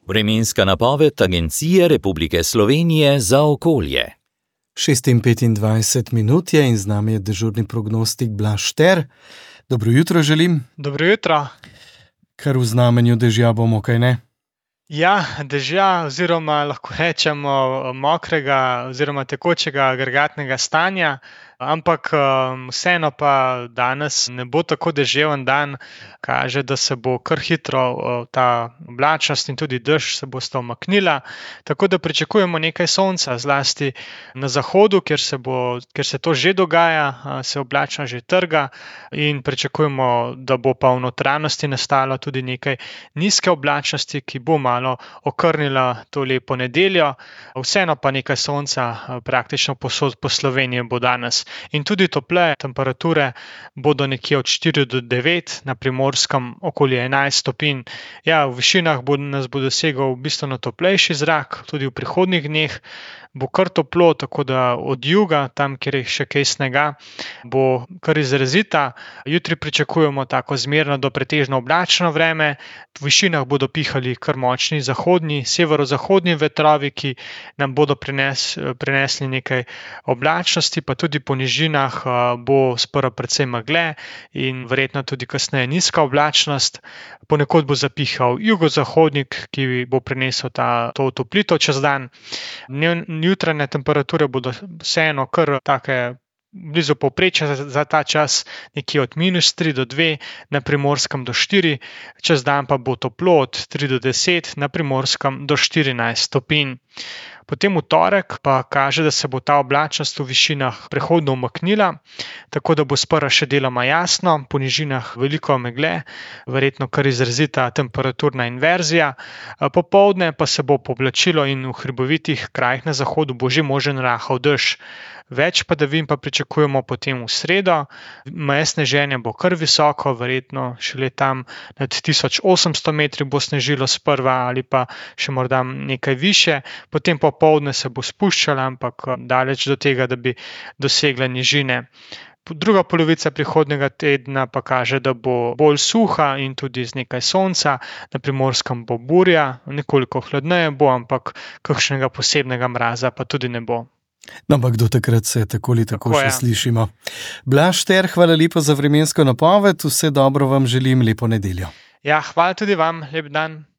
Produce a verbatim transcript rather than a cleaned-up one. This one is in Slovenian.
Vremenska napoved Agencije Republike Slovenije za okolje. šest in petindvajset minut je in z nami je dežurni prognostik Blaž Šter. Dobro jutro želim. Dobro jutro. Kar v znamenju dežja bomo, kaj ne? Ja, dežja oziroma lahko rečemo mokrega oziroma tekočega agregatnega stanja, ampak vseeno pa danes ne bo tako deževen dan, kaže, da se bo kar hitro ta oblačnost in tudi dež se bosta umaknila, tako da pričakujemo nekaj sonca, zlasti na zahodu, kjer se bo, kjer se to že dogaja, se oblačnost že trga in pričakujemo, da bo pa v notranjosti nastalo tudi nekaj nizke oblačnosti, ki bo malo okrnila to lepo nedeljo, vseeno pa nekaj sonca praktično povsod po Sloveniji bo danes. In tudi tople temperature bodo nekje od štiri do devet, na Primorskem okoli enajst stopinj. Ja, v višinah bo, nas bo dosegal bistveno toplejši zrak, tudi v prihodnjih dneh bo kar toplo, tako da od juga, tam, kjer je še kaj snega, bo kar izrazita. Jutri pričakujemo tako zmerno do pretežno oblačno vreme, v višinah bodo pihali kar močni zahodni, severozahodni vetrovi, ki nam bodo prines, prinesli nekaj oblačnosti, pa tudi po nižinah bo sprva precej megle in verjetno tudi kasneje nizka oblačnost. Ponekod bo zapihal jugozahodnik, ki bo prinesel ta, to otoplitev čez dan. Jutranje temperature bodo vseeno kar take blizu povprečja za ta čas, nekje od minus tri do dve, na Primorskem do štiri, čez dan pa bo toplo od tri do deset, na Primorskem do štirinajst stopinj. Potem v torek pa kaže, da se bo ta oblačnost v višinah prehodno umaknila, tako da bo sprva še deloma jasno, po nižinah veliko megle, verjetno kar izrazita temperaturna inverzija. Popoldne pa se bo pooblačilo in v hribovitih krajih na zahodu bo že možen rahel dež. Več padavin pa pričakujemo potem v sredo, meje sneženja bo kar visoko, verjetno šele tam nad tisoč osemsto metri bo snežilo sprva ali pa še morda nekaj više, potem popoldne se bo spuščala, ampak daleč do tega, da bi dosegla nižine. Druga polovica prihodnjega tedna pa kaže, da bo bolj suha in tudi z nekaj sonca, na Primorskem bo burja, nekoliko hladneje bo, ampak kakšnega posebnega mraza pa tudi ne bo. No, ampak do takrat se tako ali tako, tako še ja. slišimo. Blaž Šter, hvala lepo za vremensko napoved, vse dobro vam želim, lepo nedeljo. Ja, hvala tudi vam, lep dan.